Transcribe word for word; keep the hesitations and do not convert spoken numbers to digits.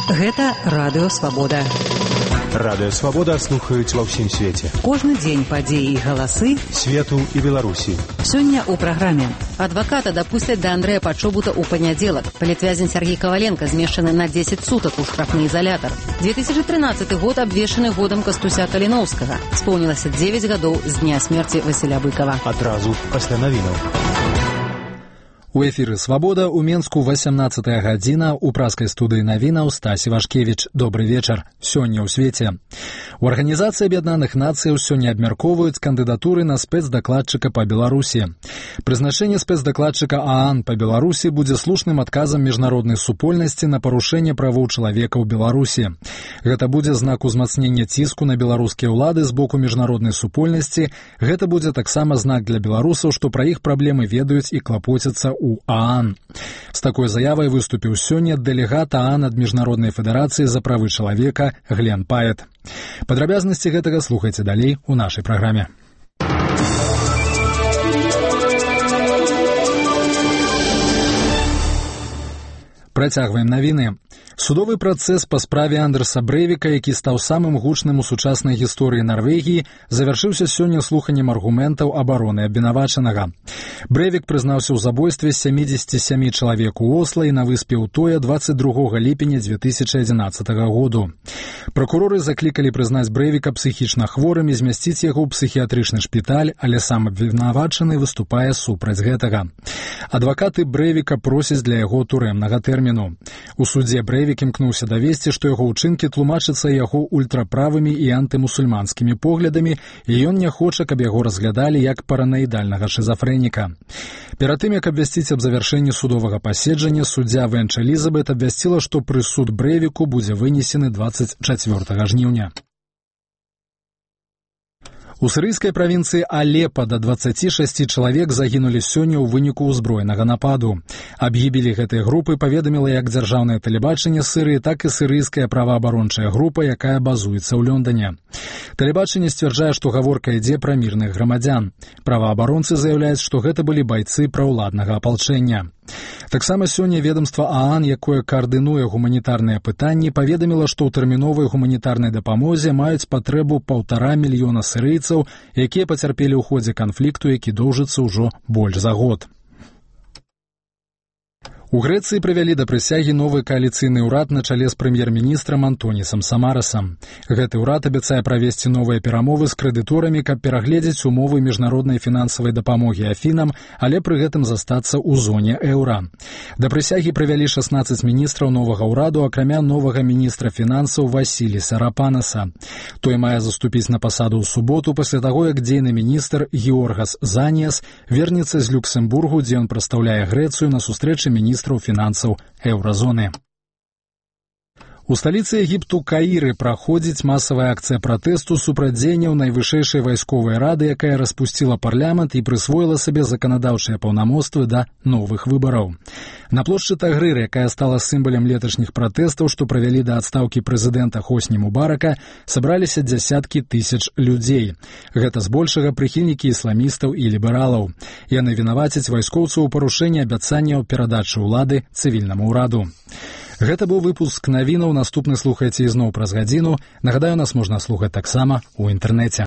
Гэта Радыё Свабода. Радыё Свабода слухаюць ва ўсім свеце. Кожны дзень падзеі і галасы свету і Беларусі. Сёння ў праграме. Адваката дапусцяць да Андрэя Пачобута ў панядзелак. Палітвязень Сергей Коваленко змешчаны на дзесяць сутак у штрафны изолятор. две тысячи тринадцаты год абвешчаны годам Кастуся Каліноўскага. Споўнілася дзевяць гадоў з дня смерці Васіля Быкова. Адразу пасля навінаў. У эфіры «Свабода» у Менску васямнаццатая гадзіна, у праскай студыі навінаў Стасі Вашкевіч. Добры вечар. Сёння ў свеце. У Арганізацыі Аб'яднаных Нацыяў сёння абмяркоўваюць кандыдатуры на спецдакладчыка па Беларусі. Прызначэнне спецдакладчыка ААН па Беларусі будзе слушным адказам міжнароднай супольнасці на парушэнне правоў чалавека ў Беларусі. Гэта будзе знак узмацнення ціску на беларускія ўлады з боку міжнароднай супольнасці. Гэта будзе таксама знак для беларусаў, што пра іх праблемы ведаюць і клапоцяцца у ААН. З такой заявай выступіў сёння дэлегат ААН ад Міжнароднай федэрацыі за правы чалавека Глен Паэт. Падрабязнасці гэтага слухайце далей у нашай праграме. Працягваем навіны. Судовы працэс па справе Андерса Брэйвіка, які стаў самым гучным у сучаснай гісторыі Нарвегіі, завяршыўся сёння слуханнем аргументаў абароны абвінавачанага. Брэйвік прызнаўся ў забойстве сямідзесяці сямі чалавек у Осла і на выспе Утоя дваццаць другога ліпеня дзве тысячы адзінаццатага году. Пракуроры заклікалі прызнаць Брэйвіка псіхічна хворым і змясціць яго ў псіхіятрычны шпіталь, але сам абвінавачаны выступае супраць гэтага. Адвакаты Брэйвіка просяць для яго турэмнага тэрміну. У судзе Брэйвік імкнуўся давесці, што яго ўчынкі тлумачацца яго ультраправымі і антымусульманскімі поглядамі, і ён не хоча, каб яго разглядалі як параноідальнага шызафрэніка. Перад тым, як абвясціць аб завяршэнні судовага паседжання, суддзя Венч Элізабет абвясціла, што прысуд Брэйвіку будзе вынесены дваццаць чацвёртага жніўня. У сірыйскай правінцыі Алепа да дваццаці шасці чалавек загінулі сёння ў выніку ўзброенага нападу. Аб гібелі гэтай групы паведаміла як дзяржаўнае тэлебачанне Сірыі, так і сірыйская праваабарончая група, якая базуецца ў Лондоне. Тэлебачанне сцвярджае, што гаворка ідзе пра мірных грамадзян. Праваабаронцы заяўляюць, што гэта былі байцы праўладнага апалчэння. Таксама сёння ведомства ААН, якое каардынуе гуманітарныя пытанні, паведаміла, што ў тэрміновай гуманітарнай дапамозе маюць патрэбу паўтара мільёна сірыйцаў, якія пацярпелі ў ходзе канфлікту, які доўжыцца ўжо больш за год. У Грэцыі прывялі да прысягі новы кааліцыйны ўрад на чале з прэм'ер-міністрам Антонісам Самарасам. Гэты ўрад абяцае правесці новыя перамовы з крэдыторамі, каб перагледзець умовы міжнароднай фінансавай дапамогі Афінам, але пры гэтым застацца ў зоне еўра. Да прысягі прывялі шаснаццаць міністраў новага ўраду, акрамя новага міністра фінансаў Васіліса Рапанаса. Той мае заступіць на пасаду ў суботу пасля таго, як дзейны міністр Георгас Заніяс вернецца з Люксембургу, дзе ён прадстаўляе Грэцыю на сустрэчы міністра фінансаў еўразоны. У сталіцы Егіпту Каіры праходзіць масавая акцыя пратэсту супраць дзеянняў найвышэйшай вайсковай рады, якая распусціла парламент і прысвоіла сабе заканадаўчыя паўнамоцтвы да новых выбараў. На плошчы Тагрыр, якая стала сімвалам леташніх пратэстаў, што правялі да адстаўкі прэзідэнта Хосні Мубарака, сабраліся дзясяткі тысяч людзей. Гэта збольшага прыхільнікі ісламістаў і лібералаў. Яны вінавацяць вайскоўцаў у парушэнні абяцанняў перадачы ўлады цывільнаму ўраду. Гэта быў выпуск навінаў, наступны слухайце ізноў праз гадзіну. Нагадаю, нас можна слухаць таксама ў інтэрнэце.